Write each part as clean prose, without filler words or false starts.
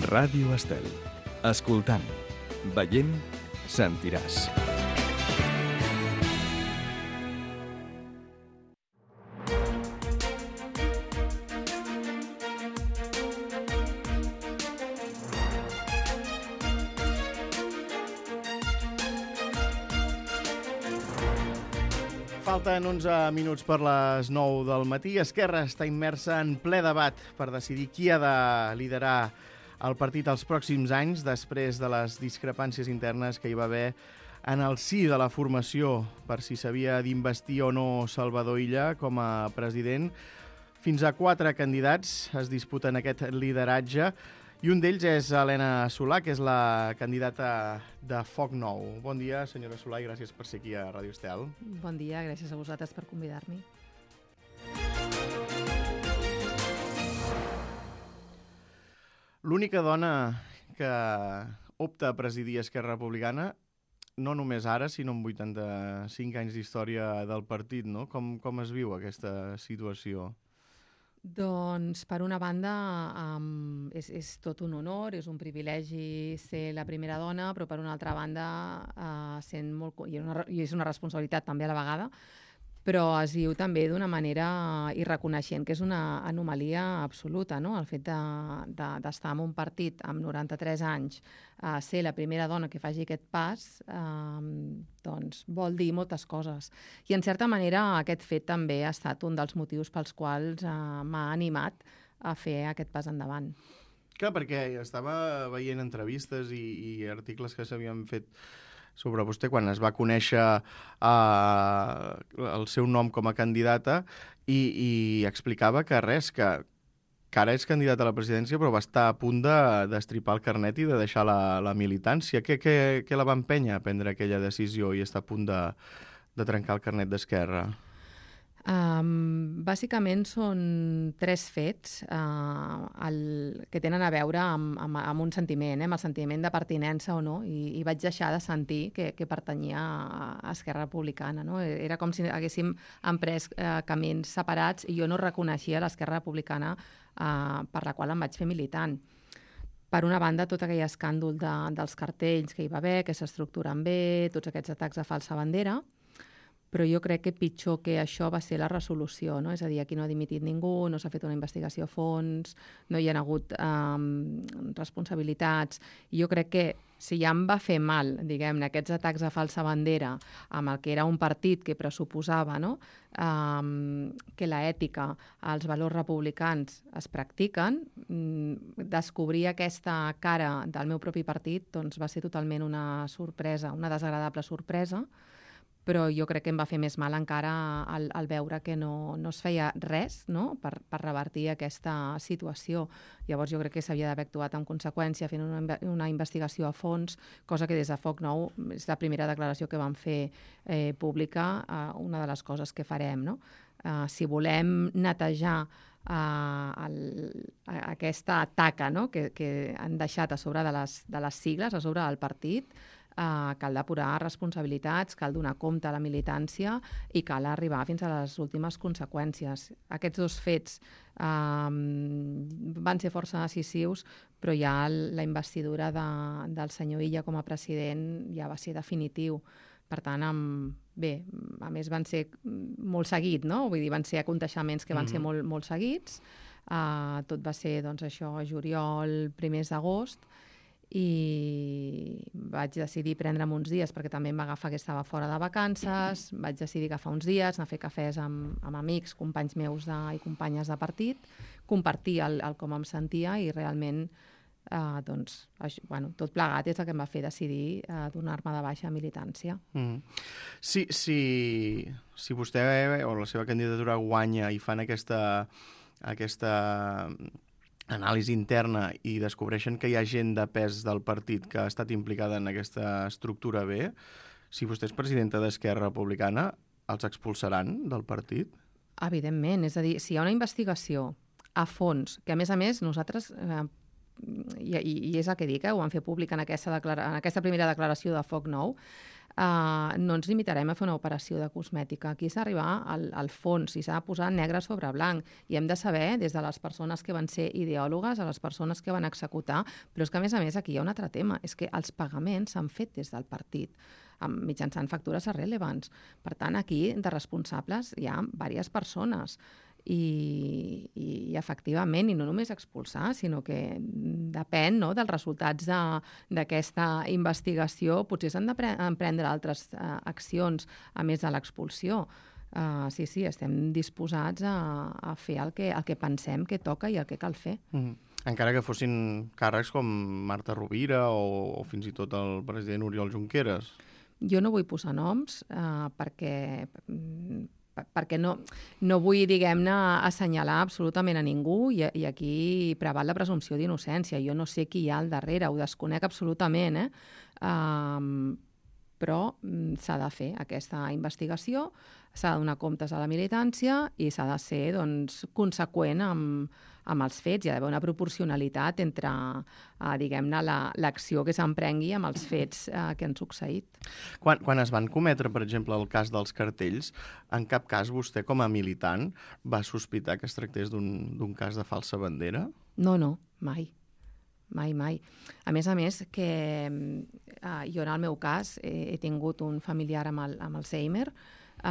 Ràdio Estel. Escoltant, veient, sentiràs. Falten 11 minuts per les 9 del matí. Esquerra està immersa en ple debat per decidir qui ha de liderar el partit els pròxims anys després de les discrepàncies internes que hi va haver en el si de la formació per si s'havia d'investir o no Salvador Illa com a president. Fins a 4 candidats es disputen aquest lideratge i un d'ells és Elena Solà, que és la candidata de Foc Nou. Bon dia, senyora Solà, i gràcies per ser aquí a Ràdio Estel. Bon dia, gràcies a vosaltres per convidar-me. L'única dona que opta a presidir Esquerra Republicana, no només ara, sinó amb 85 anys d'història del partit, no? Com es viu aquesta situació? Doncs, per una banda, és tot un honor, és un privilegi ser la primera dona, però per una altra banda, i és una responsabilitat també a la vegada, però es viu també d'una manera i reconeixent que és una anomalia absoluta, no? El fet d'estar en un partit amb 93 anys, ser la primera dona que faci aquest pas, doncs vol dir moltes coses. I en certa manera aquest fet també ha estat un dels motius pels quals m'ha animat a fer aquest pas endavant. Clar, perquè estava veient entrevistes i articles que s'havien fet sobre vostè quan es va conèixer el seu nom com a candidata i explicava que que ara és candidata a la presidència però va estar a punt d'estripar el carnet i de deixar la militància. Què la va empènyer a prendre aquella decisió i estar a punt de trencar el carnet d'Esquerra? Bàsicament són 3 fets que tenen a veure amb un sentiment, amb el sentiment de pertinença o no, i vaig deixar de sentir que pertanyia a Esquerra Republicana. No? Era com si haguéssim emprès camins separats i jo no reconeixia l'Esquerra Republicana per la qual em vaig fer militant. Per una banda, tot aquell escàndol dels cartells que hi va haver, que s'estructuren bé, tots aquests atacs a falsa bandera, però jo crec que pitjor que això va ser la resolució, no? És a dir, aquí no ha dimitit ningú, no s'ha fet una investigació a fons, no hi ha hagut responsabilitats. I jo crec que si ja em va fer mal, diguem-ne, aquests atacs a falsa bandera amb el que era un partit que pressuposava, no? Que l'ètica, els valors republicans es practiquen, descobrir aquesta cara del meu propi partit doncs va ser totalment una sorpresa, una desagradable sorpresa, però jo crec que em va fer més mal encara al veure que no es feia res, no? per revertir aquesta situació. Llavors jo crec que s'havia d'haver actuat en conseqüència, fent una investigació a fons, cosa que des de Foc Nou és la primera declaració que vam fer pública, una de les coses que farem. No? Si volem netejar aquesta taca, no? que han deixat a sobre de les sigles, a sobre del partit, cal depurar responsabilitats, cal donar compte a la militància i cal arribar fins a les últimes conseqüències. Aquests 2 fets van ser força decisius, però ja la investidura del senyor Illa com a president ja va ser definitiu. Per tant, a més van ser molt seguits, no? Vull dir, van ser aconteixements que van ser molt seguits. Tot va ser, doncs, això, juliol, primers d'agost, i vaig decidir prendre'm uns dies perquè també em va agafar que estava fora de vacances, vaig decidir agafar uns dies, anar a fer cafès amb amics, companys meus i companyes de partit, compartir el com em sentia i realment tot plegat és el que em va fer decidir donar-me de baixa a militància. Si vostè o la seva candidatura guanya i fan aquesta anàlisi interna i descobreixen que hi ha gent de pes del partit que ha estat implicada en aquesta estructura B, si vostè és presidenta d'Esquerra Republicana, els expulsaran del partit? Evidentment, és a dir, si hi ha una investigació a fons, que a més nosaltres, i és el que dic, ho vam fer públic en aquesta primera declaració de Foc Nou, no ens limitarem a fer una operació de cosmètica. Aquí s'ha d'arribar al fons i s'ha de posar negre sobre blanc. I hem de saber, des de les persones que van ser ideòlogues a les persones que van executar, però és que, a més, aquí hi ha un altre tema, és que els pagaments s'han fet des del partit, mitjançant factures irrellevants. Per tant, aquí, de responsables, hi ha diverses persones. I efectivament, i no només expulsar, sinó que depèn, no?, dels resultats d'aquesta investigació. Potser s'han d'emprendre altres accions a més de l'expulsió. Sí, estem disposats a fer el que pensem que toca i el que cal fer. Encara que fossin càrrecs com Marta Rovira o fins i tot el president Oriol Junqueras. Jo no vull posar noms perquè no vull, diguem-ne, assenyalar absolutament a ningú i aquí preval la presumpció d'innocència. Jo no sé qui hi ha al darrere, ho desconec absolutament, però s'ha de fer aquesta investigació, s'ha de donar comptes a la militància i s'ha de ser, doncs, conseqüent amb els fets. Hi ha d'haver una proporcionalitat entre, diguem-ne, l'acció que s'emprengui amb els fets que han succeït. Quan es van cometre, per exemple, el cas dels cartells, en cap cas vostè, com a militant, va sospitar que es tractés d'un cas de falsa bandera? No, mai. Mai. A més, que jo en el meu cas he tingut un familiar amb Alzheimer. Hi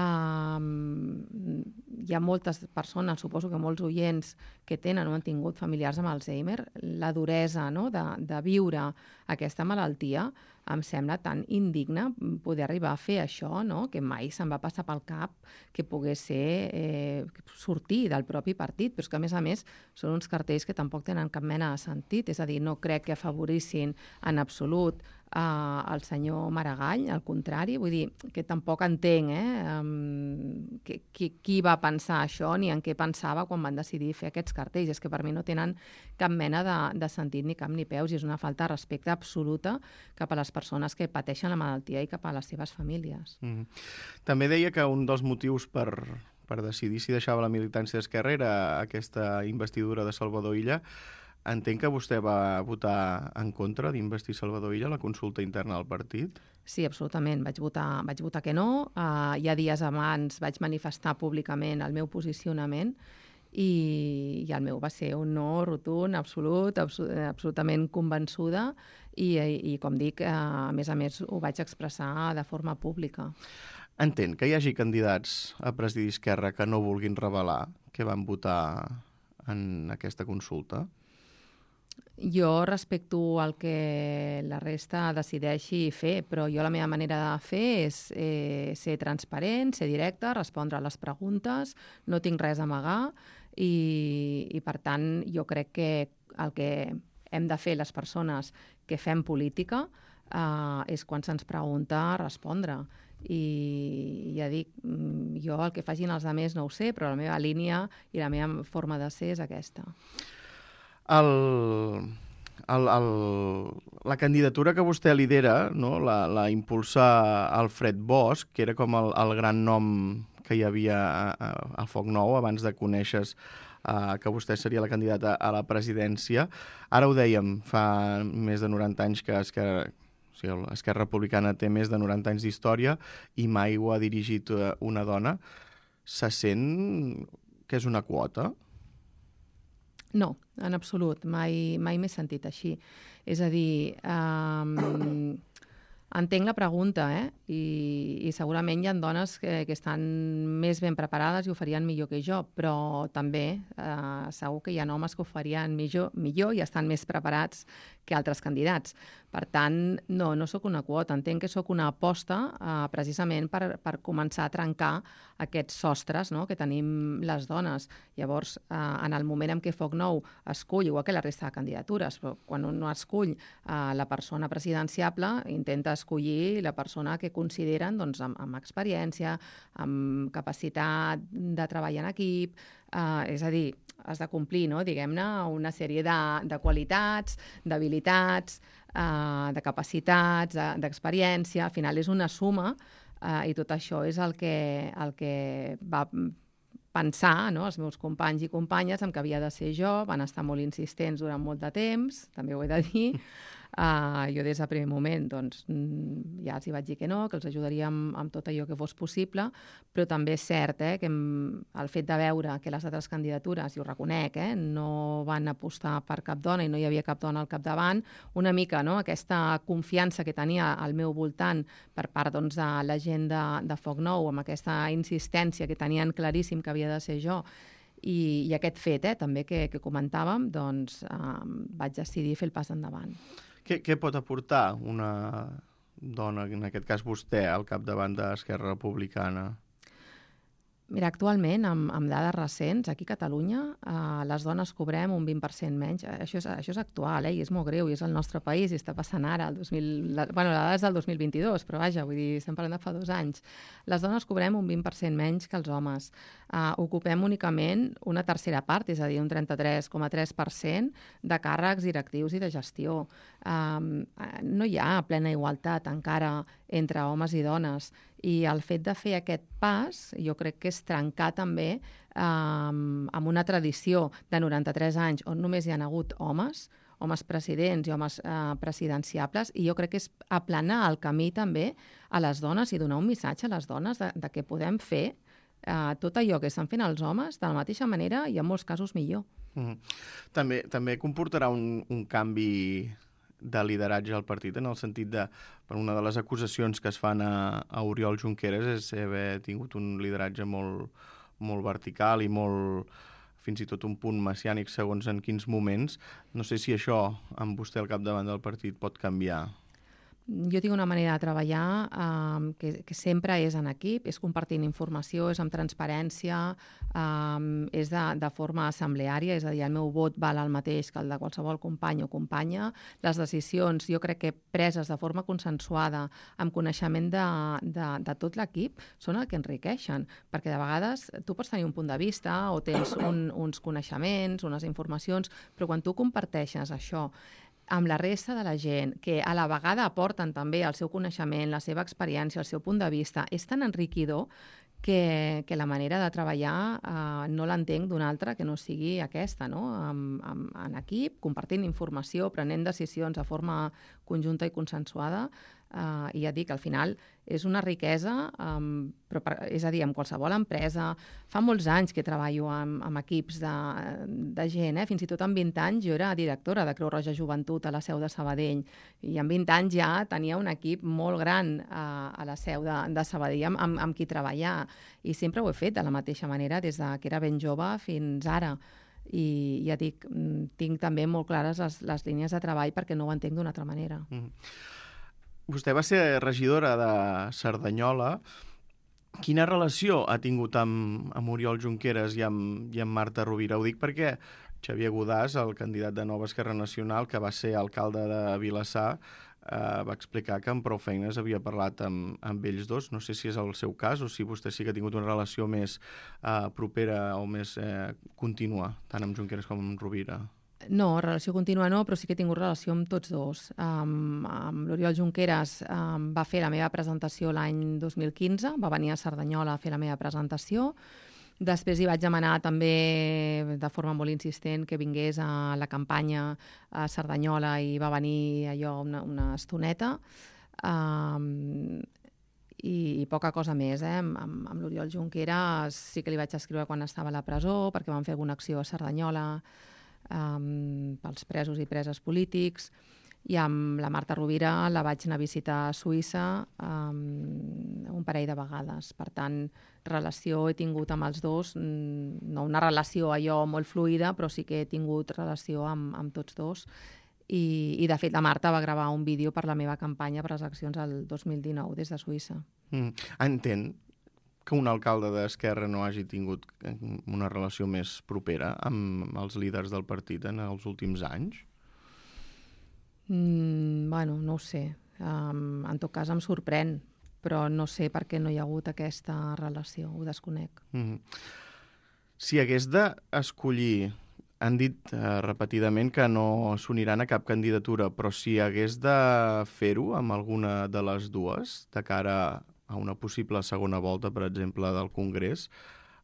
ha moltes persones, suposo que molts oients, que tenen o han tingut familiars amb Alzheimer. La duresa, no?, de viure aquesta malaltia em sembla tan indigne poder arribar a fer això, no?, que mai se'm va passar pel cap que pogués ser sortir del propi partit, però és que, a més, són uns cartells que tampoc tenen cap mena de sentit, és a dir, no crec que afavorissin en absolut el senyor Maragall, al contrari, vull dir que tampoc entenc qui va pensar això ni en què pensava quan van decidir fer aquests cartells. És que per mi no tenen cap mena de sentit ni cap ni peus i és una falta de respecte absoluta cap a les persones que pateixen la malaltia i cap a les seves famílies. També deia que un dels motius per decidir si deixava la militància d'Esquerra era aquesta investidura de Salvador Illa. Entenc que vostè va votar en contra d'investir Salvador Illa a la consulta interna del partit? Sí, absolutament. Vaig votar que no. Ja dies abans vaig manifestar públicament el meu posicionament i el meu va ser un no rotund, absolutament convençuda i com dic, a més, ho vaig expressar de forma pública. Entenc que hi hagi candidats a presidir Esquerra que no vulguin revelar que van votar en aquesta consulta? Jo respecto el que la resta decideixi fer, però jo la meva manera de fer és ser transparent, ser directe, respondre a les preguntes, no tinc res a amagar i per tant, jo crec que el que hem de fer les persones que fem política és quan se'ns pregunta respondre. I ja dic, jo el que facin els altres no ho sé, però la meva línia i la meva forma de ser és aquesta. La candidatura que vostè lidera, no? la impulsa Alfred Bosch, que era com el gran nom que hi havia a Foc Nou abans de conèixer que vostè seria la candidata a la presidència. Ara ho dèiem, fa més de 90 anys que Esquerra Republicana té més de 90 anys d'història i mai ho ha dirigit una dona. Se sent que és una quota? No, en absolut. Mai m'he sentit així. És a dir, entenc la pregunta, i segurament hi ha dones que estan més ben preparades i ho farien millor que jo, però també segur que hi ha homes que ho farien millor i estan més preparats que altres candidats. Per tant, no sóc una quota. Entenc que sóc una aposta precisament per començar a trencar aquests sostres, no?, que tenim les dones. Llavors, en el moment en què Foc Nou escull, igual que la resta de candidatures, però quan un no escull la persona presidenciable, intenta escollir la persona que consideren doncs, amb experiència, amb capacitat de treballar en equip, és a dir, has de complir, no?, diguem-ne, una sèrie de qualitats, d'habilitats, de capacitats, d'experiència. Al final és una suma i tot això és el que va pensar, no?, els meus companys i companyes en què havia de ser jo. Van estar molt insistents durant molt de temps, també ho he de dir, Jo des del primer moment ja els hi vaig dir que no, que els ajudaria amb tot allò que fos possible, però també és cert que el fet de veure que les altres candidatures, i ho reconec, no van apostar per cap dona i no hi havia cap dona al capdavant, una mica aquesta confiança que tenia al meu voltant per part de la gent de Foc Nou, amb aquesta insistència que tenien claríssim que havia de ser jo, i aquest fet també que comentàvem, vaig decidir fer el pas endavant. Què pot aportar una dona, en aquest cas vostè, al capdavant d'Esquerra Republicana? Mira, actualment, amb dades recents, aquí a Catalunya, les dones cobrem un 20% menys. Això és actual, i és molt greu, i és el nostre país, i està passant ara. La dada és del 2022, però vaja, vull dir, estem parlant de fa 2 anys. Les dones cobrem un 20% menys que els homes. Ocupem únicament una tercera part, és a dir, un 33,3% de càrrecs directius i de gestió. No hi ha plena igualtat encara entre homes i dones, i el fet de fer aquest pas jo crec que és trencar també amb una tradició de 93 anys on només hi ha hagut homes presidents i homes presidenciables, i jo crec que és aplanar el camí també a les dones i donar un missatge a les dones de que podem fer tot allò que estan fent els homes de la mateixa manera i en molts casos millor. També comportarà un canvi de lideratge al partit, en el sentit de, per una de les acusacions que es fan a Oriol Junqueras és haver tingut un lideratge molt vertical i molt, fins i tot un punt messiànic segons en quins moments. No sé si això, amb vostè al capdavant del partit, pot canviar. Jo tinc una manera de treballar que sempre és en equip, és compartint informació, és amb transparència, és de forma assembleària, és a dir, el meu vot val el mateix que el de qualsevol company o companya. Les decisions, jo crec que preses de forma consensuada, amb coneixement de tot l'equip, són el que enriqueixen, perquè de vegades tu pots tenir un punt de vista o tens uns coneixements, unes informacions, però quan tu comparteixes això amb la resta de la gent, que a la vegada aporten també el seu coneixement, la seva experiència, el seu punt de vista, és tan enriquidor que la manera de treballar no l'entenc d'una altra que no sigui aquesta, no? En equip, compartint informació, prenent decisions de forma conjunta i consensuada, i ja dic, al final és una riquesa, és a dir, en qualsevol empresa. Fa molts anys que treballo amb equips de gent, fins i tot amb 20 anys jo era directora de Creu Roja Joventut a la seu de Sabadell, i amb 20 anys ja tenia un equip molt gran a la seu de Sabadell amb qui treballar, i sempre ho he fet de la mateixa manera des que era ben jove fins ara. I ja dic, tinc també molt clares les línies de treball perquè no ho entenc d'una altra manera. Vostè va ser regidora de Cerdanyola. Quina relació ha tingut amb Oriol Junqueras i amb Marta Rovira? Ho dic perquè Xavier Godàs, el candidat de Nova Esquerra Nacional, que va ser alcalde de Vilassar, va explicar que amb prou feines havia parlat amb ells dos. No sé si és el seu cas o si vostè sí que ha tingut una relació més propera o més contínua, tant amb Junqueras com amb Rovira. No, relació contínua no, però sí que he tingut relació amb tots dos. Amb l'Oriol Junqueras va fer la meva presentació l'any 2015, va venir a Cerdanyola a fer la meva presentació. Després hi vaig demanar també de forma molt insistent que vingués a la campanya a Cerdanyola i va venir allò una estoneta. I poca cosa més. Amb l'Oriol Junqueras sí que li vaig escriure quan estava a la presó perquè van fer alguna acció a Cerdanyola pels presos i preses polítics, i amb la Marta Rovira la vaig anar a visitar a Suïssa un parell de vegades. Per tant, relació he tingut amb els dos, no una relació allò molt fluida, però sí que he tingut relació amb tots dos. I de fet, la Marta va gravar un vídeo per la meva campanya per les eleccions del 2019 des de Suïssa. Entén que un alcalde d'Esquerra no hagi tingut una relació més propera amb els líders del partit en els últims anys? Bueno, no ho sé. En tot cas em sorprèn, però no sé per què no hi ha hagut aquesta relació, ho desconec. Si hagués d'escollir, han dit repetidament que no s'uniran a cap candidatura, però si hagués de fer-ho amb alguna de les dues, de cara a una possible segona volta, per exemple, del Congrés,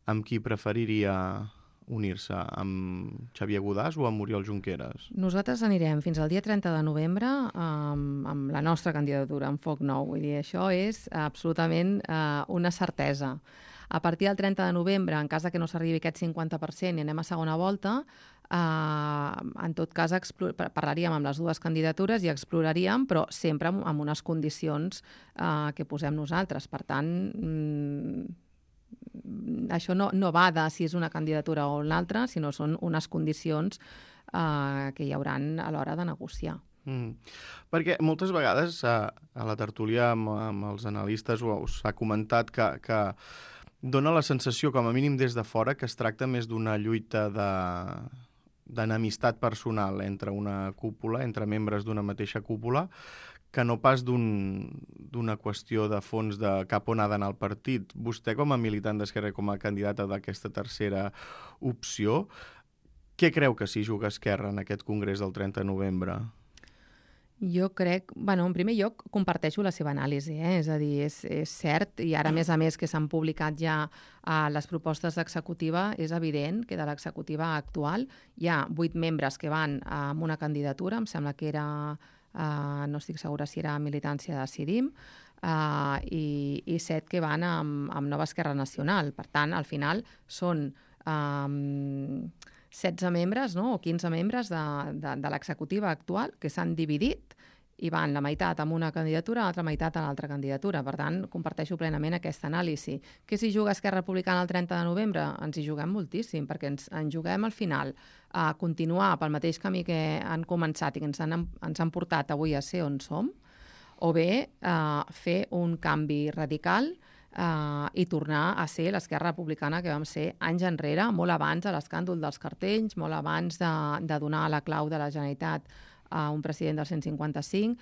amb qui preferiria unir-se? Amb Xavier Godàs o amb Oriol Junqueras? Nosaltres anirem fins al dia 30 de novembre amb la nostra candidatura, amb Foc Nou. Vull dir, això és absolutament una certesa. A partir del 30 de novembre, en cas que no s'arribi aquest 50% i anem a segona volta, en tot cas parlaríem amb les dues candidatures i exploraríem, però sempre amb unes condicions que posem nosaltres. Per tant, això no va de si és una candidatura o una altra, sinó són unes condicions que hi hauran a l'hora de negociar. Perquè moltes vegades a la tertúlia amb els analistes s'ha comentat que dona la sensació, com a mínim des de fora, que es tracta més d'una lluita d'enemistat personal entre una cúpula, entre membres d'una mateixa cúpula, que no pas d'una qüestió de fons de cap on ha d'anar el partit. Vostè, com a militant d'Esquerra i com a candidata d'aquesta tercera opció, què creu que s'hi juga Esquerra en aquest congrés del 30 de novembre? Jo crec, en primer lloc, comparteixo la seva anàlisi, és a dir, és cert, i ara, a més que s'han publicat ja les propostes d'executiva, és evident que de l'executiva actual hi ha 8 membres que van amb una candidatura, em sembla que era, no estic segura si era Militància Decidim, i 7 que van amb Nova Esquerra Nacional. Per tant, al final són 16 membres, o 15 membres de l'executiva actual que s'han dividit i van la meitat amb una candidatura, l'altra meitat a l'altra candidatura. Per tant, comparteixo plenament aquesta anàlisi. Què s'hi juga Esquerra Republicana el 30 de novembre? Ens hi juguem moltíssim, perquè ens juguem al final a continuar pel mateix camí que han començat i que ens han portat avui a ser on som, o bé fer un canvi radical i tornar a ser l'Esquerra Republicana que vam ser anys enrere, molt abans de l'escàndol dels cartells, molt abans de donar la clau de la Generalitat a un president del 155.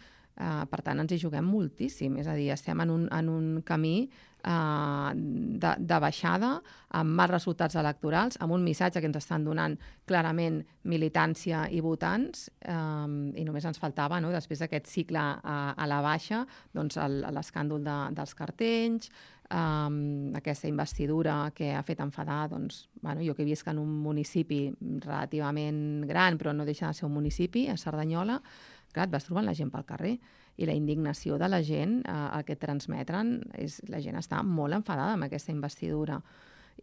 Per tant, ens hi juguem moltíssim. És a dir, estem en un camí de baixada, amb mals resultats electorals, amb un missatge que ens estan donant clarament militància i votants, i només ens faltava, després d'aquest cicle a la baixa, doncs l'escàndol dels cartells, aquesta investidura que ha fet enfadar, jo que visc en un municipi relativament gran, però no deixa de ser un municipi, a Cerdanyola, clar, et vas trobant la gent pel carrer i la indignació de la gent, el que transmeten, la gent està molt enfadada amb aquesta investidura.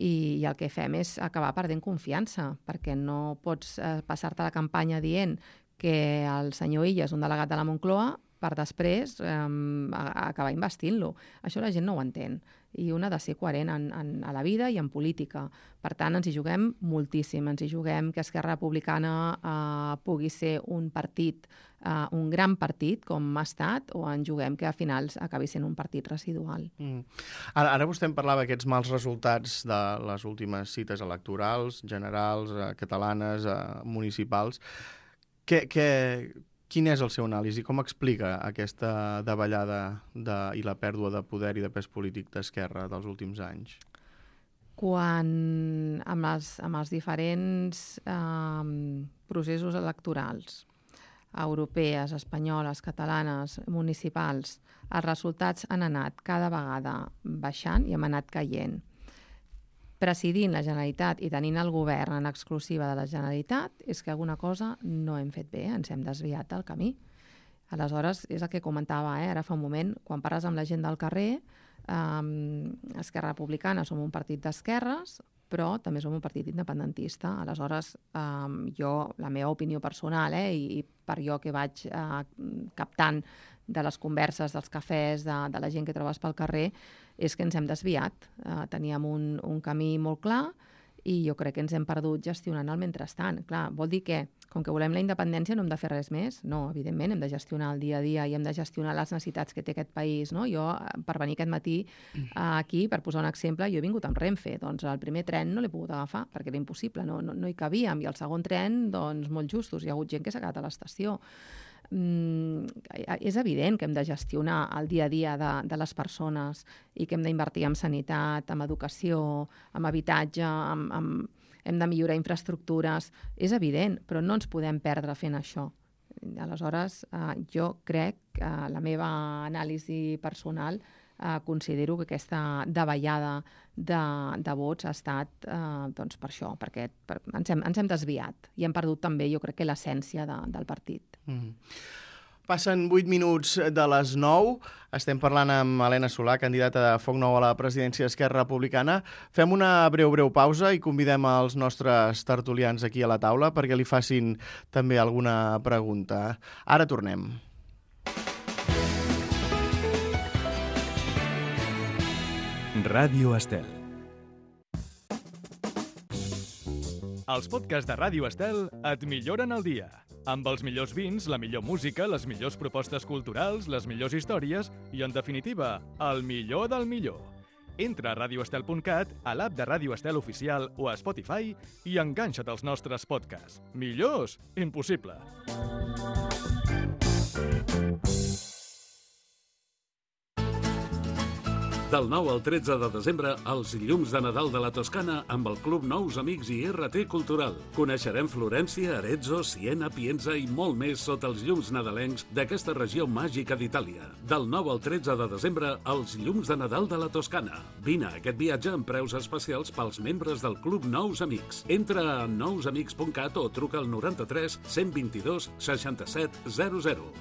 I el que fem és acabar perdent confiança, perquè no pots passar-te la campanya dient que el senyor Illa és un delegat de la Moncloa per després acabar investint-lo. Això la gent no ho entén. I un ha de ser coherent a la vida i en política. Per tant, ens hi juguem moltíssim. Ens hi juguem que Esquerra Republicana pugui ser un partit, un gran partit, com ha estat, o ens juguem que a finals acabi sent un partit residual. Ara vostè em parlava d'aquests mals resultats de les últimes cites electorals, generals, catalanes, municipals. Quin és el seu anàlisi? Com explica aquesta davallada i la pèrdua de poder i de pes polític d'Esquerra dels últims anys? Quan amb els diferents processos electorals, europees, espanyoles, catalanes, municipals, els resultats han anat cada vegada baixant i hem anat caient. Presidint la Generalitat i tenint el govern en exclusiva de la Generalitat, és que alguna cosa no hem fet bé, ens hem desviat del camí. Aleshores, és el que comentava ara fa un moment, quan parles amb la gent del carrer, Esquerra Republicana som un partit d'esquerres, però també som un partit independentista. Aleshores, la meva opinió personal, i per jo que vaig captant de les converses, dels cafès, de la gent que trobes pel carrer, és que ens hem desviat. Teníem un camí molt clar i jo crec que ens hem perdut gestionant el mentrestant. Clar, vol dir que, com que volem la independència, no hem de fer res més? No, evidentment, hem de gestionar el dia a dia i hem de gestionar les necessitats que té aquest país. No? Jo, per venir aquest matí aquí, per posar un exemple, jo he vingut amb Renfe. Doncs el primer tren no l'he pogut agafar perquè era impossible, no hi cabíem. I el segon tren, doncs, molt justos. Hi ha hagut gent que s'ha quedat a l'estació. És evident que hem de gestionar el dia a dia de les persones i que hem d'invertir en sanitat, en educació, en habitatge, hem de millorar infraestructures. És evident, però no ens podem perdre fent això. Aleshores, jo crec que la meva anàlisi personal considero que aquesta davallada de vots ha estat doncs per això, perquè ens hem desviat i hem perdut també, jo crec que l'essència del partit. Passen 8 minuts de les 9. Estem parlant amb Elena Solà, candidata de Foc Nou a la presidència d'Esquerra Republicana. Fem una breu pausa i convidem els nostres tertulians aquí a la taula perquè li facin també alguna pregunta. Ara tornem. Ràdio Estel. Els podcasts de Ràdio Estel et milloren el dia. Amb els millors vins, la millor música, les millors propostes culturals, les millors històries i, en definitiva, el millor del millor. Entra a radioestel.cat, a l'app de Ràdio Estel Oficial o a Spotify i enganxa't als nostres podcasts. Millors? Impossible. Del 9 al 13 de desembre, els llums de Nadal de la Toscana amb el Club Nous Amics i RT Cultural. Coneixerem Florència, Arezzo, Siena, Pienza i molt més sota els llums nadalencs d'aquesta regió màgica d'Itàlia. Del 9 al 13 de desembre, els llums de Nadal de la Toscana. Vine a aquest viatge amb preus especials pels membres del Club Nous Amics. Entra a nousamics.cat o truca al 93 122 67 00.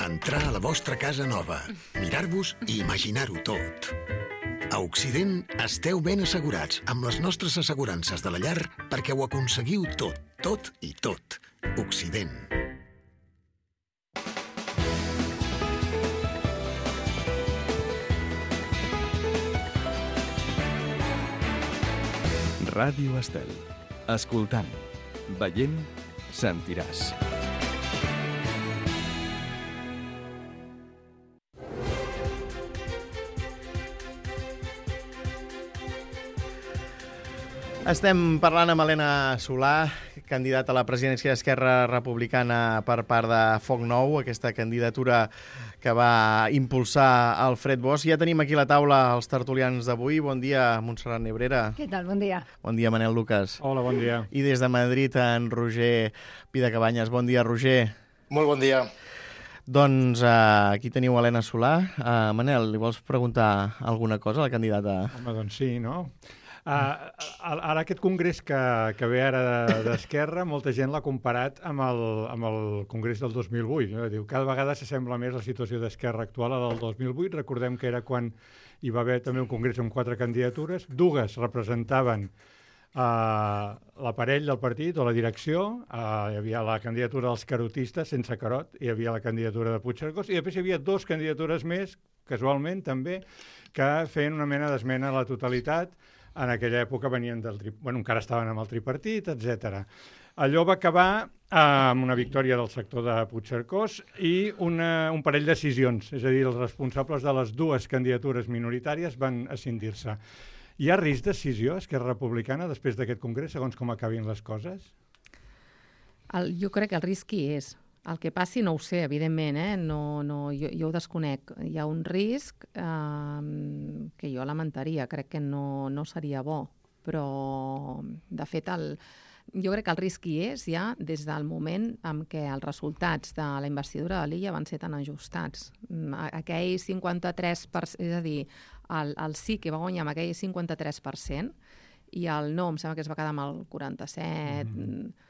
Entrar a la vostra casa nova, mirar-vos i imaginar-ho tot. A Occident esteu ben assegurats amb les nostres assegurances de la llar perquè ho aconseguiu tot, tot i tot. Occident. Ràdio Estel. Escoltant, veient, sentiràs. Estem parlant amb Elena Solà, candidata a la presidència d'Esquerra Republicana per part de Foc Nou, aquesta candidatura que va impulsar Alfred Bosch. Ja tenim aquí a la taula els tertulians d'avui. Bon dia, Montserrat Nebrera. Què tal? Bon dia. Bon dia, Manel Lucas. Hola, bon dia. I des de Madrid, en Roger Pidacabanyes. Bon dia, Roger. Molt bon dia. Doncs aquí teniu Elena Solà. Manel, li vols preguntar alguna cosa a la candidata? Home, doncs sí, no? Ara aquest congrés que ve ara d'Esquerra, molta gent l'ha comparat amb el congrés del 2008. No? Diu, cada vegada s'assembla més la situació d'Esquerra actual a la del 2008. Recordem que era quan hi va haver també un congrés amb 4 candidatures. Dues representaven l'aparell del partit o la direcció. Hi havia la candidatura dels carotistes, sense carot, hi havia la candidatura de Puigcercós, i després hi havia 2 candidatures més, casualment també, que feien una mena d'esmena a la totalitat. En aquella època venien encara estaven amb el tripartit, etc. Allò va acabar amb una victòria del sector de Puigcercós i un parell de decisions, és a dir, els responsables de les 2 candidatures minoritàries van escindir-se. Hi ha risc d'escissió a Esquerra Republicana després d'aquest congrés, segons com acabin les coses? Jo crec que el risc hi és. El que passi no ho sé, evidentment, jo ho desconec. Hi ha un risc que jo lamentaria, crec que no seria bo, però de fet jo crec que el risc hi és ja des del moment en què els resultats de la investidura de l'Illa van ser tan ajustats. Aquell 53%, és a dir, el sí que va guanyar amb aquell 53% i el no em sembla que es va quedar amb el 47%.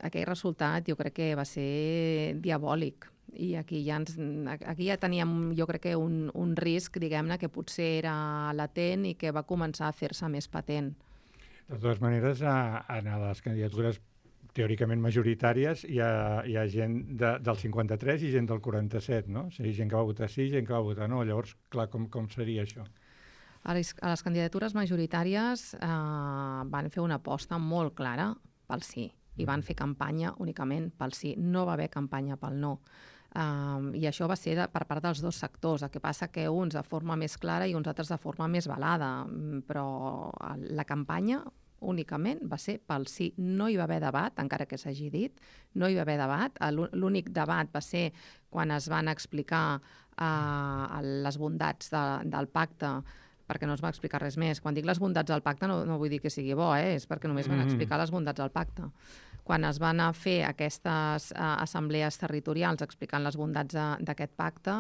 Aquell resultat jo crec que va ser diabòlic i aquí ja teníem jo crec que un risc, diguem-ne, que potser era latent i que va començar a fer-se més patent. De totes maneres, en les candidatures teòricament majoritàries hi ha gent del 53 i gent del 47, no? O sigui, gent que va votar sí, gent que va votar no. Llavors, clar, com seria això? A les candidatures majoritàries van fer una aposta molt clara pel sí. I van fer campanya únicament pel sí. No va haver campanya pel no. I això va ser per part dels 2 sectors. El que passa que uns de forma més clara i uns altres de forma més velada. Però la campanya únicament va ser pel sí. No hi va haver debat, encara que s'hagi dit. No hi va haver debat. L'únic debat va ser quan es van explicar les bondats del pacte, perquè no es va explicar res més. Quan dic les bondats del pacte no vull dir que sigui bo, és perquè només van explicar les bondats del pacte. quan es van a fer aquestes assemblees territorials explicant les bondats d'aquest pacte,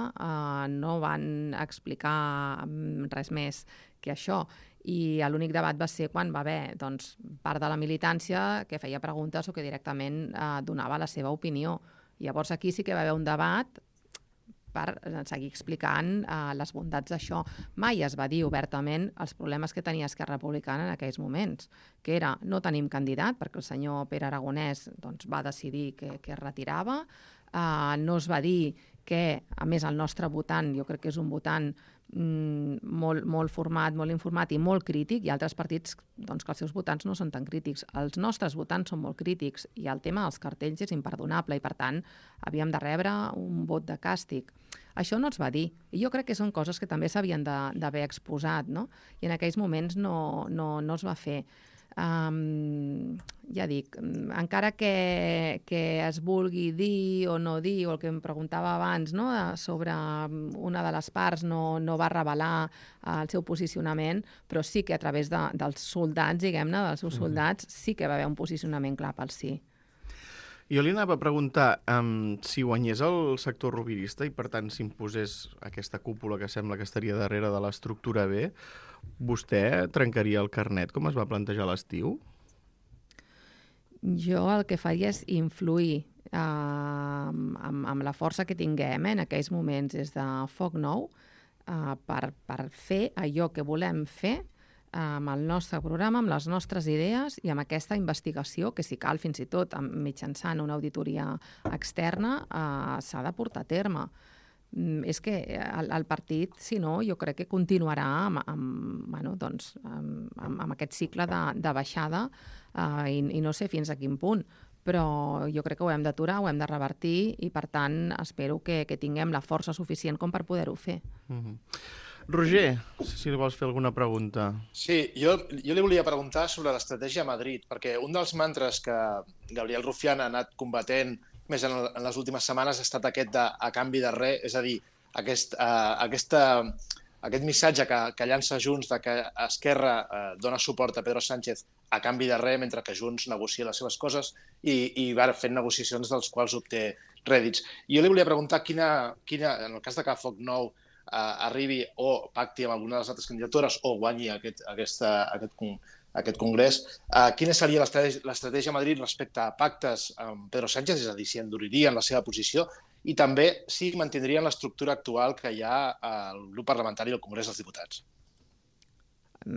no van explicar res més que això. I l'únic debat va ser quan va haver part de la militància que feia preguntes o que directament donava la seva opinió. Llavors aquí sí que va haver un debat per seguir explicant les bondats d'això. Mai es va dir obertament els problemes que tenia Esquerra Republicana en aquells moments, que era no tenim candidat, perquè el senyor Pere Aragonès va decidir que es retirava. No es va dir que, a més, el nostre votant, jo crec que és un votant molt format, molt informat i molt crític, i altres partits que els seus votants no són tan crítics. Els nostres votants són molt crítics i el tema dels cartells és imperdonable i, per tant, havíem de rebre un vot de càstig. Això no es va dir. I jo crec que són coses que també s'havien d'haver exposat, no? I en aquells moments no es va fer. Ja dic, encara que es vulgui dir o no dir, o el que em preguntava abans, no? Sobre una de les parts no va revelar el seu posicionament, però sí que a través dels soldats, diguem-ne, dels seus soldats, sí que va haver un posicionament clar pel sí. Jo li anava a preguntar si guanyés el sector rovirista i, per tant, s'imposés aquesta cúpula que sembla que estaria darrere de l'estructura B, vostè trencaria el carnet, com es va plantejar a l'estiu? Jo el que faria és influir amb la força que tinguem en aquells moments des de Foc Nou per fer allò que volem fer amb el nostre programa, amb les nostres idees i amb aquesta investigació que, si cal, fins i tot mitjançant una auditoria externa, s'ha de portar a terme. És que el partit, si no, jo crec que continuarà amb aquest cicle de baixada i no sé fins a quin punt, però jo crec que ho hem d'aturar, ho hem de revertir i, per tant, espero que tinguem la força suficient com per poder-ho fer. Roger, si li vols fer alguna pregunta. Sí, jo li volia preguntar sobre l'estratègia a Madrid, perquè un dels mantres que Gabriel Rufián ha anat combatent més en les últimes setmanes ha estat aquest de a canvi de res, és a dir, aquest missatge que llança Junts de que Esquerra dona suport a Pedro Sánchez a canvi de res, mentre que Junts negocia les seves coses i va fent negociacions dels quals obté rèdits. Jo li volia preguntar quina, en el cas de que Foc Nou arribi o pacti amb alguna de les altres candidatures o guanyi aquest congrés, quina seria l'estratègia a Madrid respecte a pactes amb Pedro Sánchez, és a dir, si enduririen la seva posició, i també si mantindrien l'estructura actual que hi ha al grup parlamentari del Congrés dels Diputats.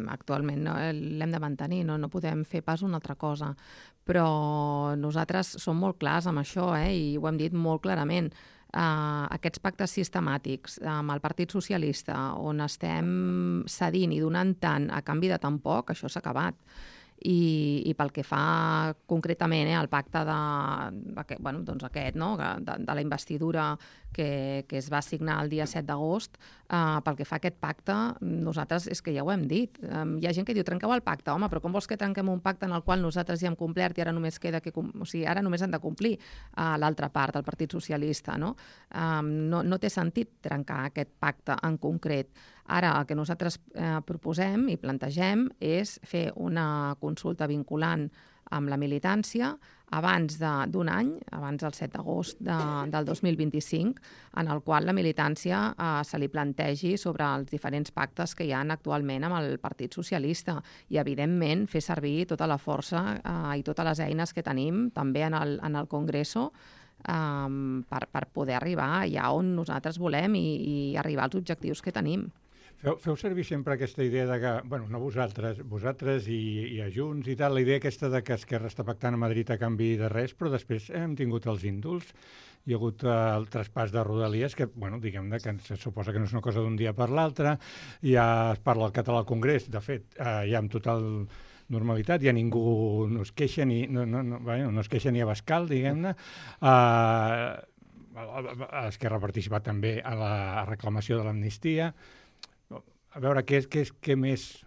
Actualment l'hem de mantenir, no podem fer pas una altra cosa, però nosaltres som molt clars amb això i ho hem dit molt clarament. Aquests pactes sistemàtics amb el Partit Socialista, on estem cedint i donant tant a canvi de tan poc, això s'ha acabat. I pel que fa concretament al pacte de la investidura que es va signar el dia 7 d'agost, pel que fa a aquest pacte, nosaltres és que ja ho hem dit. Hi ha gent que diu, trenqueu el pacte, home, però com vols que trenquem un pacte en el qual nosaltres ja hem complert i ara només queda ara només han de complir l'altra part, el Partit Socialista, no? No té sentit trencar aquest pacte en concret. Ara, el que nosaltres proposem i plantegem és fer una consulta vinculant amb la militància abans d'un any, abans del 7 d'agost del 2025, en el qual la militància se li plantegi sobre els diferents pactes que hi ha actualment amb el Partit Socialista i, evidentment, fer servir tota la força i totes les eines que tenim també en el Congreso per poder arribar allà on nosaltres volem i arribar als objectius que tenim. Feu servir sempre aquesta idea de que, bueno, no vosaltres i a Junts i tal, la idea aquesta de que Esquerra està pactant a Madrid a canvi de res, però després hem tingut els indults, hi ha hagut el traspàs de Rodalies, que, bueno, diguem-ne, que se suposa que no és una cosa d'un dia per l'altre, ja es parla el català al Congrés, de fet, ja amb total normalitat, ja ningú no es queixa no es queixa ni a Bascal, diguem-ne. Esquerra ha participat també a la reclamació de l'amnistia. A veure, què més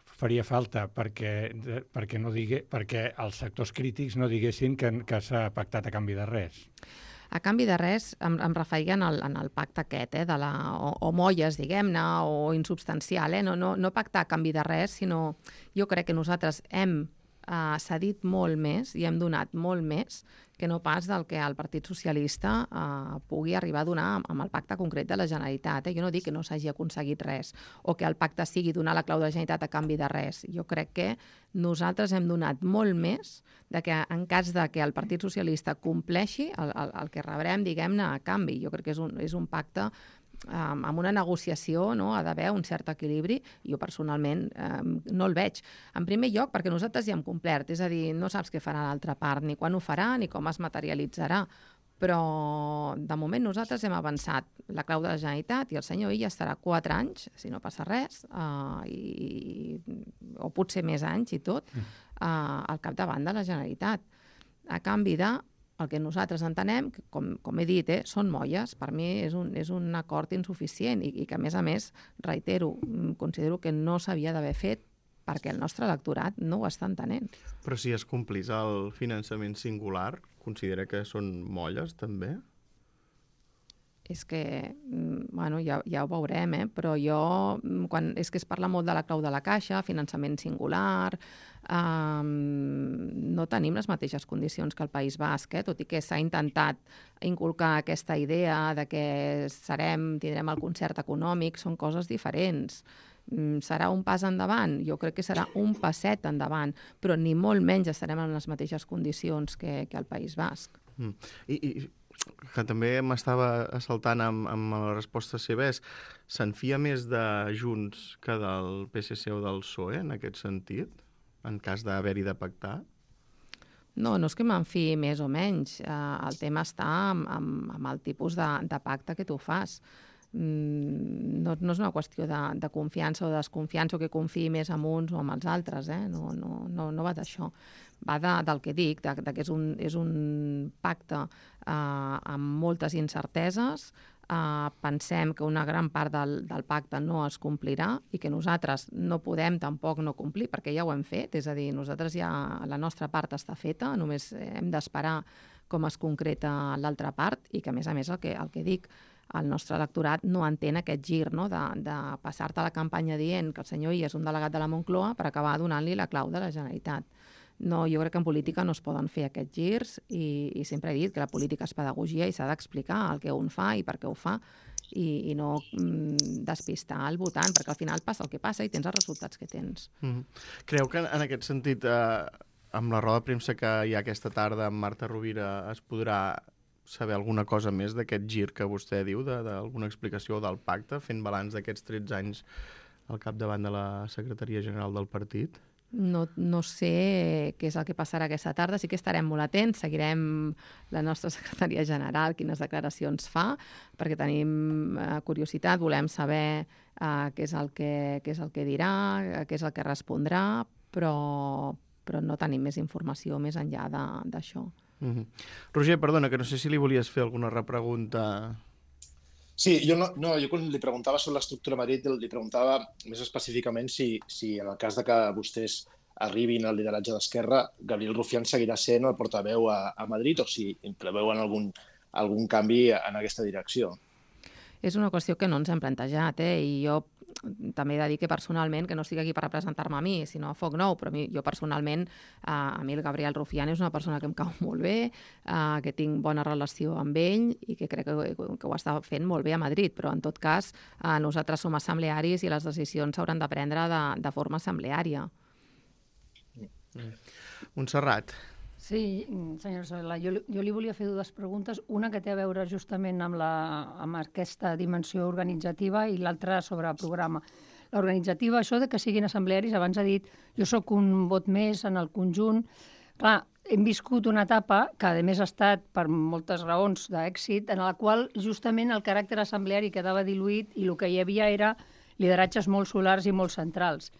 faria falta perquè els sectors crítics no diguessin que s'ha pactat a canvi de res? A canvi de res, em referia en el pacte aquest, o molles, diguem-ne, o insubstancial, no pactar a canvi de res, sinó jo crec que nosaltres hem s'ha dit molt més i hem donat molt més que no pas del que el Partit Socialista pugui arribar a donar amb el pacte concret de la Generalitat. Jo no dic que no s'hagi aconseguit res o que el pacte sigui donar la clau de la Generalitat a canvi de res. Jo crec que nosaltres hem donat molt més de que en cas de que el Partit Socialista compleixi el que rebrem, diguem-ne, a canvi. Jo crec que és un pacte amb una negociació, no? Ha d'haver un cert equilibri. Jo personalment no el veig. En primer lloc, perquè nosaltres ja hem complert, és a dir, no saps què farà l'altra part, ni quan ho farà, ni com es materialitzarà. Però, de moment, nosaltres hem avançat la clau de la Generalitat i el senyor Illa estarà 4 anys, si no passa res, o potser més anys i tot, al capdavant de la Generalitat. A canvi de el que nosaltres entenem, com he dit, són molles. Per mi és un acord insuficient i que, a més, reitero, considero que no s'havia d'haver fet perquè el nostre electorat no ho està entenent. Però si es complís el finançament singular, considera que són molles, també? És que, bueno, ja ho veurem, però és que es parla molt de la clau de la caixa, finançament singular, no tenim les mateixes condicions que el País Basc, tot i que s'ha intentat inculcar aquesta idea de que tindrem el concert econòmic, són coses diferents. Serà un pas endavant? Jo crec que serà un passet endavant, però ni molt menys estarem en les mateixes condicions que el País Basc. I que també m'estava assaltant amb la resposta seva se'n fia més de Junts que del PSC o del PSOE, en aquest sentit, en cas d'haver-hi de pactar? No és que me'n fiï més o menys. El tema està amb el tipus de pacte que tu fas. No és una qüestió de confiança o desconfiança o que confiï més en uns o en els altres, no va d'això. Va del que dic, que és un pacte amb moltes incerteses. Pensem que una gran part del pacte no es complirà i que nosaltres no podem tampoc no complir, perquè ja ho hem fet, és a dir, nosaltres ja la nostra part està feta, només hem d'esperar com es concreta l'altra part i que, a més, el que dic, el nostre electorat no entén aquest gir, de passar-te la campanya dient que el senyor Illa és un delegat de la Moncloa per acabar donant-li la clau de la Generalitat. No, jo crec que en política no es poden fer aquests girs i sempre he dit que la política és pedagogia i s'ha d'explicar el que un fa i per què ho fa i no despistar el votant, perquè al final passa el que passa i tens els resultats que tens. Creu que en aquest sentit, amb la roda de premsa que hi ha aquesta tarda amb Marta Rovira, es podrà saber alguna cosa més d'aquest gir que vostè diu, d'alguna explicació del pacte, fent balanç d'aquests 13 anys al capdavant de la Secretaria General del partit? No sé què és el que passarà aquesta tarda, sí que estarem molt atents, seguirem la nostra secretaria general, quines declaracions fa, perquè tenim curiositat, volem saber què és el que dirà, què és el que respondrà, però no tenim més informació més enllà d'això. Roger, perdona, que no sé si li volies fer alguna repregunta. Sí, jo quan li preguntava sobre l'estructura a Madrid, li preguntava més específicament si en el cas de que vostès arribin al lideratge d'Esquerra, Gabriel Rufián seguirà sent el portaveu a Madrid o si preveuen algun canvi en aquesta direcció. És una qüestió que no ens hem plantejat, i jo també he de dir que personalment, que no estic aquí per representar-me a mi, sinó a Foc Nou, però jo personalment, a mi el Gabriel Rufián és una persona que em cau molt bé, que tinc bona relació amb ell i que crec que ho està fent molt bé a Madrid, però en tot cas nosaltres som assemblearis i les decisions s'hauran de prendre de forma assembleària. Montserrat. Sí, senyora Solà, jo li volia fer dues preguntes, una que té a veure justament amb aquesta dimensió organitzativa i l'altra sobre el programa. L'organitzativa, això de que siguin assemblearis, abans ha dit, jo sóc un vot més en el conjunt. Clar, hem viscut una etapa que, a més, ha estat, per moltes raons d'èxit, en la qual justament el caràcter assembleari quedava diluït i el que hi havia era lideratges molt solars i molt centrals.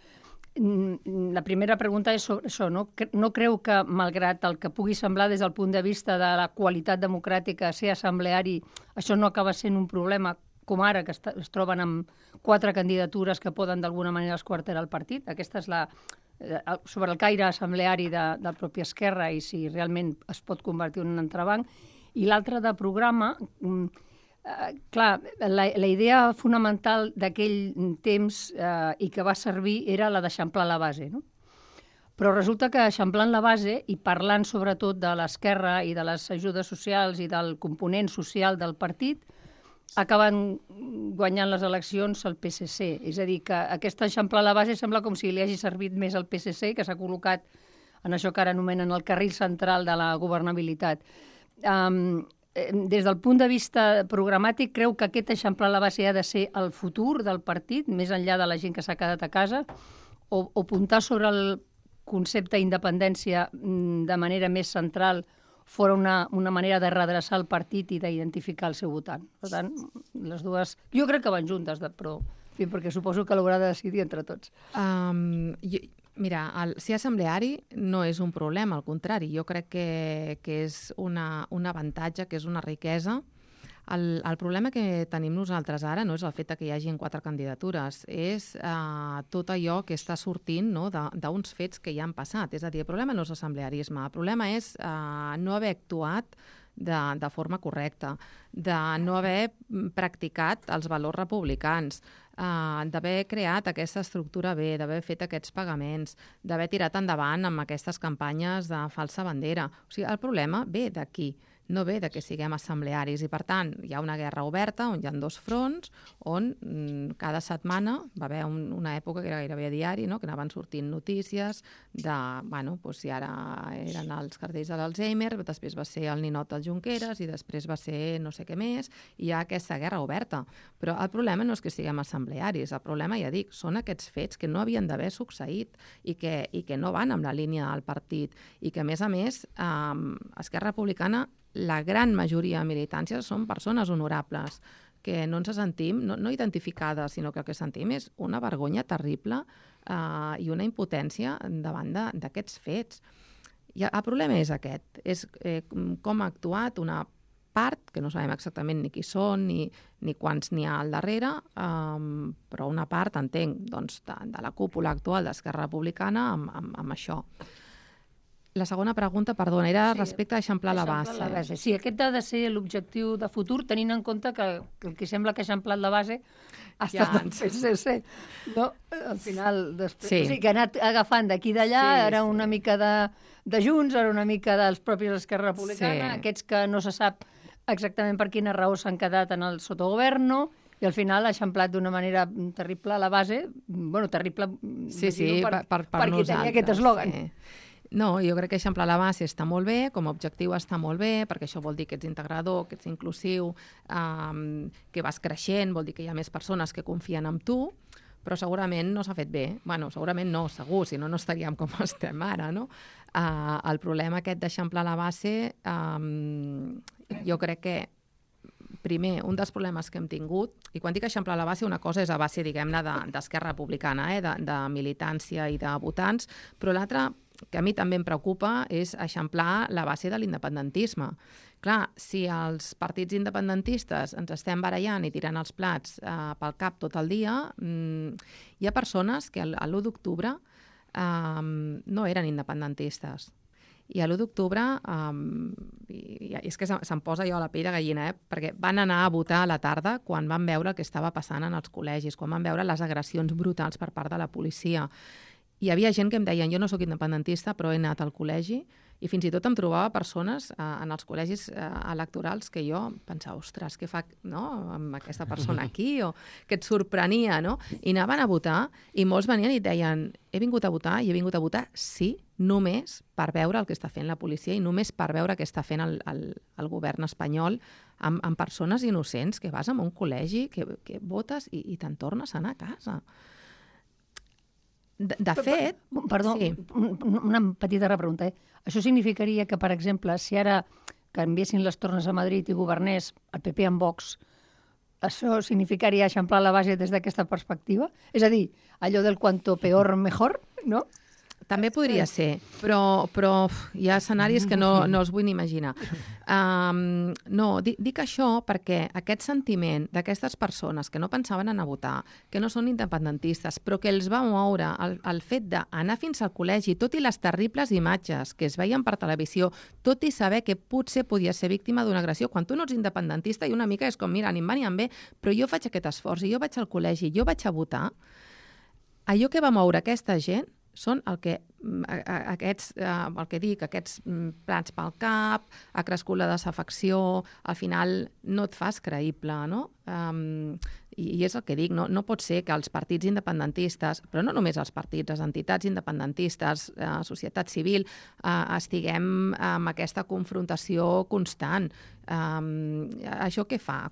La primera pregunta és sobre això. No creu que, malgrat el que pugui semblar des del punt de vista de la qualitat democràtica, ser assembleari, això no acaba sent un problema, com ara, que es troben amb 4 candidatures que poden d'alguna manera esquarterar el partit? Aquesta és sobre el caire assembleari de propi Esquerra i si realment es pot convertir en un entrebanc. I l'altra de programa... Clar, la idea fonamental d'aquell temps i que va servir era la d'eixamplar la base, no? Però resulta que eixamplant la base i parlant sobretot de l'esquerra i de les ajudes socials i del component social del partit, acaben guanyant les eleccions el PSC. És a dir, que aquesta eixamplar la base sembla com si li hagi servit més al PSC, que s'ha col·locat en això que ara anomenen el carril central de la governabilitat. Des del punt de vista programàtic, creu que aquest eixamplar la base ha de ser el futur del partit, més enllà de la gent que s'ha quedat a casa, o apuntar sobre el concepte d'independència de manera més central fora una manera de redreçar el partit i d'identificar el seu votant. Per tant, les dues... Jo crec que van juntes, però en fi, perquè suposo que l'haurà de decidir entre tots. Mira, ser assembleari no és un problema, al contrari. Jo crec que és un avantatge, que és una riquesa. El problema que tenim nosaltres ara no és el fet que hi hagi 4 candidatures, és tot allò que està sortint d'uns fets que ja han passat. És a dir, el problema no és l'assemblearisme, el problema és no haver actuat de forma correcta, de no haver practicat els valors republicans, d'haver creat aquesta estructura B, d'haver fet aquests pagaments, d'haver tirat endavant amb aquestes campanyes de falsa bandera. O sigui, el problema ve d'aquí, no ve de que siguem assemblearis, i per tant hi ha una guerra oberta on hi ha 2 fronts, on cada setmana va haver una època que era gairebé a diari, no? Que anaven sortint notícies de, si ara eren els cartells de l'Alzheimer, després va ser el ninot del Junqueras i després va ser no sé què més, i hi ha aquesta guerra oberta. Però el problema no és que siguem assemblearis, el problema, ja dic, són aquests fets que no havien d'haver succeït i que no van amb la línia del partit, i que a més Esquerra Republicana, la gran majoria de militància són persones honorables, que no ens sentim, no identificades, sinó que el que sentim és una vergonya terrible i una impotència davant d'aquests fets. I el problema és aquest, és com ha actuat una part, que no sabem exactament ni qui són, ni quants n'hi ha al darrere, però una part, entenc, de la cúpula actual d'Esquerra Republicana amb això. La segona pregunta, perdona, era respecte a eixamplar la base. Sí, aquest ha de ser l'objectiu de futur, tenint en compte que el que sembla que ha eixamplat la base ha estat el PSC. No? Al final, després, que ha anat agafant d'aquí d'allà, era una mica de Junts, era una mica dels propis Esquerra Republicana, aquests que no se sap exactament per quina raó s'han quedat en el sotogoverno, i al final ha eixamplat d'una manera terrible la base, terrible per qui tenia aquest eslògan. No, jo crec que eixamplar la base està molt bé, com a objectiu està molt bé, perquè això vol dir que ets integrador, que ets inclusiu, que vas creixent, vol dir que hi ha més persones que confien en tu, però segurament no s'ha fet bé. Bueno, segurament no, segur, si no, no estaríem com estem ara, no? El problema aquest d'eixamplar la base, jo crec que primer, un dels problemes que hem tingut, i quan dic eixamplar la base, una cosa és a base, diguem-ne, d'Esquerra Republicana, de militància i de votants, però l'altra, que a mi també em preocupa, és eixamplar la base de l'independentisme. Clar, si els partits independentistes ens estem barallant i tirant els plats pel cap tot el dia, hi ha persones que l'1 d'octubre no eren independentistes. I l'1 d'octubre, és que se'm posa jo a la pell de gallina, perquè van anar a votar a la tarda quan van veure el que estava passant en els col·legis, quan van veure les agressions brutals per part de la policia. Hi havia gent que em deien, jo no sóc independentista, però he anat al col·legi, i fins i tot em trobava persones en els col·legis electorals que jo pensava, ostres, què fa amb aquesta persona aquí? O que et sorprenia, no? I anaven a votar, i molts venien i deien, he vingut a votar, i he vingut a votar, sí, només per veure el que està fent la policia i només per veure què està fent el govern espanyol amb persones innocents, que vas a un col·legi, que votes i te'n tornes a anar a casa. De fet... Perdó, sí. Una petita repregunta. Això significaria que, per exemple, si ara canviessin les tornes a Madrid i governés el PP amb Vox, això significaria eixamplar la base des d'aquesta perspectiva? És a dir, allò del cuanto peor mejor, no? També podria ser, però hi ha escenaris que no els vull ni imaginar. No, dic això perquè aquest sentiment d'aquestes persones que no pensaven anar a votar, que no són independentistes, però que els va moure el fet d'anar fins al col·legi, tot i les terribles imatges que es veien per televisió, tot i saber que potser podia ser víctima d'una agressió, quan tu no ets independentista i una mica és com, mira, ni em va ni em ve, però jo faig aquest esforç i jo vaig al col·legi, jo vaig a votar, allò que va moure aquesta gent són el que dic, aquests plats pel cap, ha crescut la desafecció, al final no et fas creïble, no? I és el que dic, no pot ser que els partits independentistes, però no només els partits, les entitats independentistes, societat civil, estiguem amb aquesta confrontació constant. Això què fa?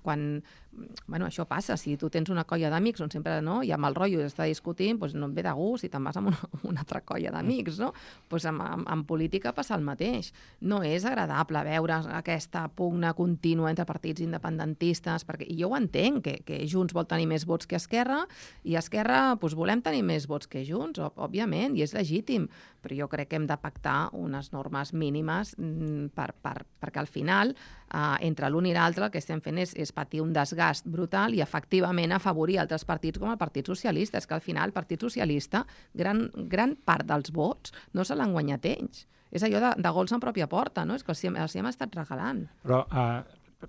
Això passa, si tu tens una colla d'amics on sempre hi ha mal rotllo i està discutint, doncs no et ve de gust i te'n vas amb una altra colla d'amics, no? Doncs en política passa el mateix. No és agradable veure aquesta pugna contínua entre partits independentistes, perquè jo ho entenc, que Junts vol tenir més vots que Esquerra, i Esquerra volem tenir més vots que Junts, òbviament, i és legítim, però jo crec que hem de pactar unes normes mínimes perquè al final, entre l'un i l'altre, el que estem fent és patir un desgast brutal i efectivament afavorir altres partits com el Partit Socialista. És que al final el Partit Socialista, gran part dels vots no se l'han guanyat ells. És allò de gols en pròpia porta, no? És que els hem estat regalant. Però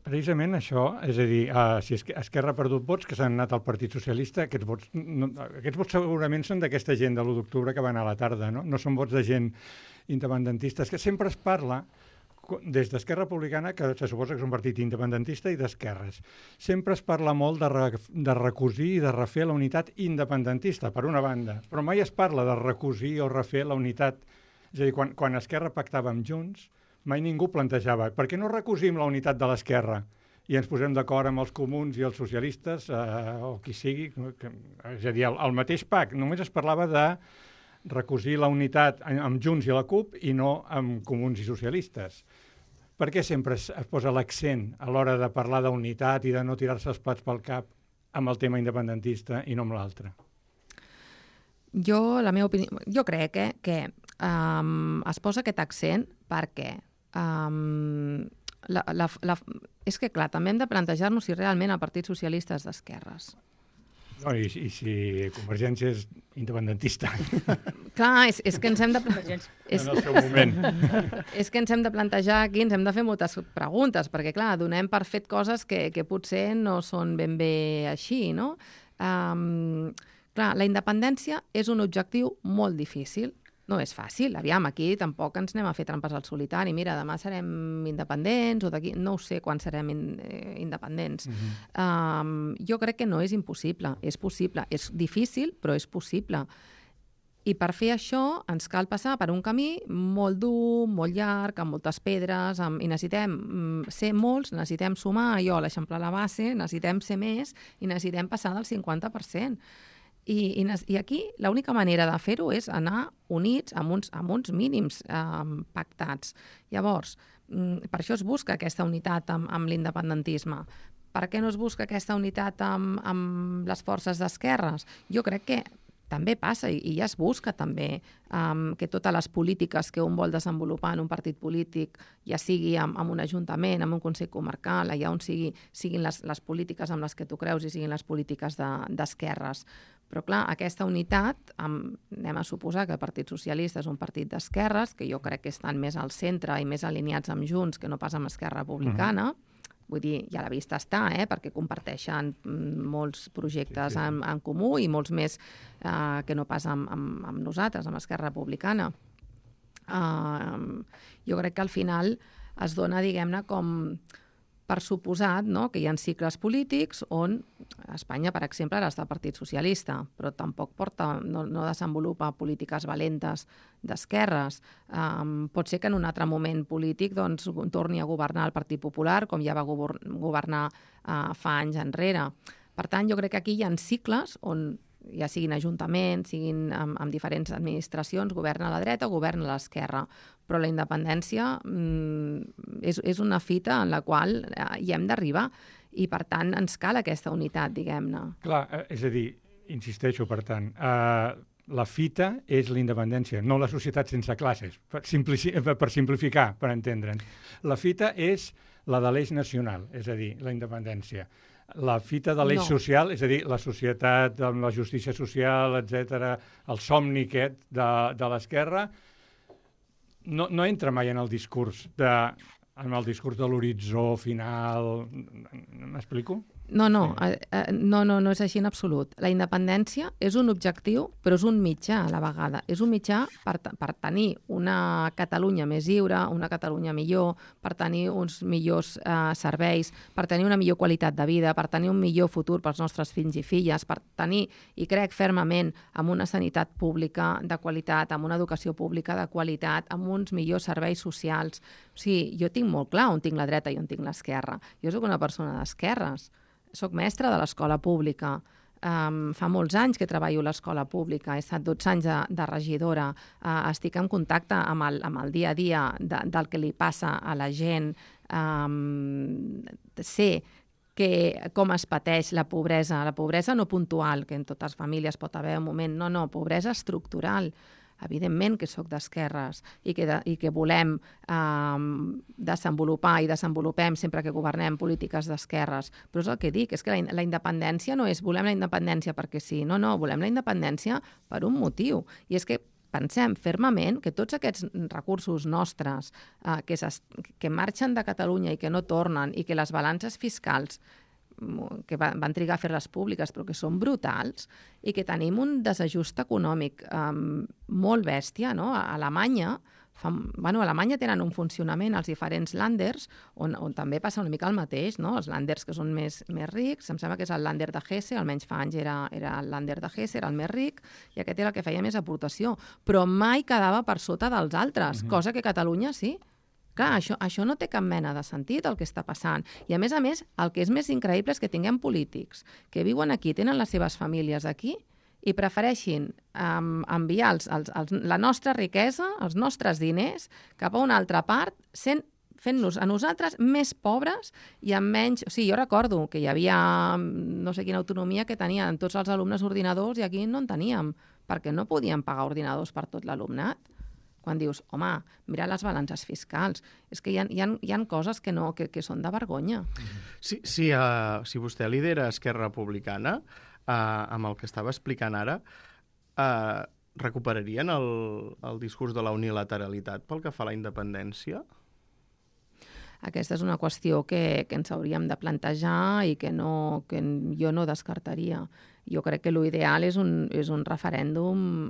precisament això, és a dir, si Esquerra ha perdut vots que s'han anat al Partit Socialista, aquests vots segurament són d'aquesta gent de l'1 d'octubre que va anar a la tarda, no? No són vots de gent independentista. És que sempre es parla des d'Esquerra Republicana, que se suposa que és un partit independentista, i d'esquerres. Sempre es parla molt de recosir i de refer la unitat independentista, per una banda, però mai es parla de recosir o refer la unitat. És a dir, quan Esquerra pactava amb Junts, mai ningú plantejava per què no recosim la unitat de l'Esquerra i ens posem d'acord amb els comuns i els socialistes, o qui sigui. És a dir, el mateix pacte, només es parlava de recosir la unitat amb Junts i la CUP i no amb comuns i socialistes. Per què sempre es posa l'accent a l'hora de parlar d'unitat i de no tirar-se els plats pel cap amb el tema independentista i no amb l'altre? La meva opinió, jo crec que es posa aquest accent perquè és que, clar, també hem de plantejar-nos si realment el Partit Socialista és d'esquerres. No, i si Convergència és independentista. Clar, és que ens hem de... En el seu moment. És que ens hem de plantejar aquí, ens hem de fer moltes preguntes, perquè, clar, donem per fet coses que potser no són ben bé així, no? Clar, la independència és un objectiu molt difícil. No és fàcil. Aviam, aquí tampoc ens anem a fer trampes al solitari. Mira, demà serem independents o d'aquí... No ho sé quan serem independents. Jo crec que no és impossible. És possible. És difícil, però és possible. I per fer això ens cal passar per un camí molt dur, molt llarg, amb moltes pedres, i necessitem ser molts, necessitem sumar allò, l'eixamplar la base, necessitem ser més i necessitem passar del 50%. I aquí l'única manera de fer-ho és anar units amb uns mínims pactats. Llavors, per això es busca aquesta unitat amb l'independentisme. Per què no es busca aquesta unitat amb les forces d'esquerres? Jo crec que també passa i ja es busca també que totes les polítiques que un vol desenvolupar en un partit polític, ja sigui en un ajuntament, en un consell comarcal, allà on siguin les polítiques amb les que tu creus i siguin les polítiques d'esquerres. Però, clar, aquesta unitat, anem a suposar que el Partit Socialista és un partit d'esquerres, que jo crec que estan més al centre i més alineats amb Junts que no pas amb Esquerra Republicana. Vull dir, ja a la vista està, perquè comparteixen molts projectes en comú i molts més que no pas amb nosaltres, amb Esquerra Republicana. Jo crec que al final es dona, diguem-ne, com per suposat, no?, que hi ha cicles polítics on Espanya, per exemple, ara està el Partit Socialista, però tampoc no desenvolupa polítiques valentes d'esquerres. Pot ser que en un altre moment polític torni a governar el Partit Popular, com ja va governar fa anys enrere. Per tant, jo crec que aquí hi ha cicles on ja siguin ajuntaments, siguin amb diferents administracions, governa a la dreta o governa a l'esquerra. Però la independència és una fita en la qual hi hem d'arribar i, per tant, ens cal aquesta unitat, diguem-ne. Clar, és a dir, insisteixo, per tant, la fita és la independència, no la societat sense classes, per simplificar, per entendre'ns. La fita és la de l'eix nacional, és a dir, la independència. La fita de l'eix social, és a dir, la societat amb la justícia social, etc., el somni aquest de l'esquerra, no entra mai en el discurs de l'horitzó final. M'explico? No és així en absolut. La independència és un objectiu, però és un mitjà a la vegada. És un mitjà per tenir una Catalunya més lliure, una Catalunya millor, per tenir uns millors serveis, per tenir una millor qualitat de vida, per tenir un millor futur pels nostres fills i filles, per tenir, i crec fermament, amb una sanitat pública de qualitat, amb una educació pública de qualitat, amb uns millors serveis socials. O sigui, jo tinc molt clar on tinc la dreta i on tinc l'esquerra. Jo soc una persona d'esquerres. Soc mestra de l'escola pública. Fa molts anys que treballo a l'escola pública. He estat 12 anys de regidora. Estic en contacte amb el dia a dia del que li passa a la gent. Sé com es pateix la pobresa no puntual, que en totes les famílies pot haver un moment. No, pobresa estructural. Evidentment que sóc d'esquerres i que volem desenvolupar i desenvolupem sempre que governem polítiques d'esquerres. Però és el que dic, és que la independència no és volem la independència perquè sí. No, volem la independència per un motiu. I és que pensem fermament que tots aquests recursos nostres que marxen de Catalunya i que no tornen i que les balances fiscals que van trigar a fer-les públiques, però que són brutals, i que tenim un desajust econòmic molt bèstia, no? A Alemanya tenen un funcionament als diferents Länders, on també passa una mica el mateix, no? Els Länders que són més rics, em sembla que és el Länder de Hesse, almenys fa anys era el Länder de Hesse, era el més ric, i aquest era el que feia més aportació, però mai quedava per sota dels altres, cosa que Catalunya sí. Clar, això no té cap mena de sentit, el que està passant. I, a més, el que és més increïble és que tinguem polítics que viuen aquí, tenen les seves famílies aquí i prefereixin enviar la nostra riquesa, els nostres diners, cap a una altra part, fent-nos a nosaltres més pobres i amb menys... O sigui, jo recordo que hi havia no sé quina autonomia que tenien tots els alumnes ordinadors i aquí no en teníem, perquè no podíem pagar ordinadors per tot l'alumnat. Quan dius, home, mira les balances fiscals. És que hi ha coses que són de vergonya. Si vostè lidera Esquerra Republicana, amb el que estava explicant ara, recuperarien el discurs de la unilateralitat pel que fa a la independència? Aquesta és una qüestió que ens hauríem de plantejar i que jo no descartaria. Jo crec que l'ideal és un referèndum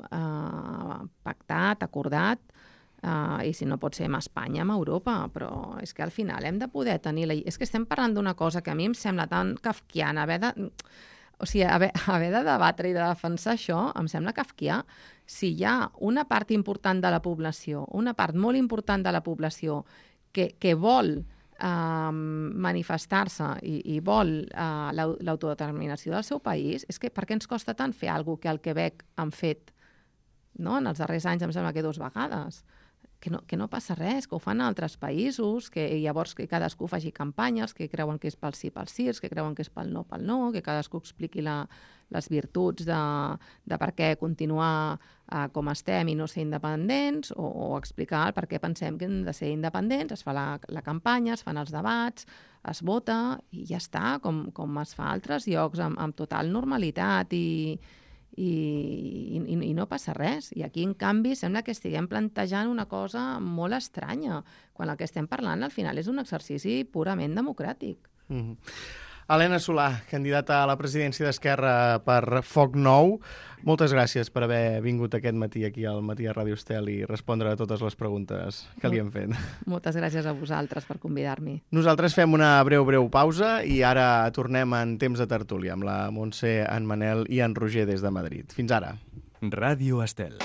pactat, acordat, i si no pot ser amb Espanya, amb Europa, però és que al final hem de poder tenir... És que estem parlant d'una cosa que a mi em sembla tan kafkiana, haver de debatre i de defensar això, em sembla kafkià. Si hi ha una part important de la població, una part molt important de la població que vol manifestar-se i vol l'autodeterminació del seu país, és que per què ens costa tant fer alguna cosa que al Quebec han fet, no? En els darrers anys em sembla que 2 vegades. Que no passa res, que ho fan a altres països, que llavors que cadascú faci campanyes, que creuen que és pel sí, que creuen que és pel no, que cadascú expliqui les virtuts de per què continuar com estem i no ser independents, o explicar per què pensem que hem de ser independents, es fa la campanya, es fan els debats, es vota i ja està, com es fa a altres llocs amb total normalitat i no passa res. I aquí, en canvi, sembla que estiguem plantejant una cosa molt estranya, quan el que estem parlant al final és un exercici purament democràtic. Helena Solà, candidata a la presidència d'Esquerra per Foc Nou, moltes gràcies per haver vingut aquest matí aquí al Matí a Ràdio Estel i respondre a totes les preguntes que li hem fet. Moltes gràcies a vosaltres per convidar-m'hi. Nosaltres fem una breu pausa i ara tornem en temps de tertúlia amb la Montse, en Manel i en Roger des de Madrid. Fins ara. Ràdio Estel.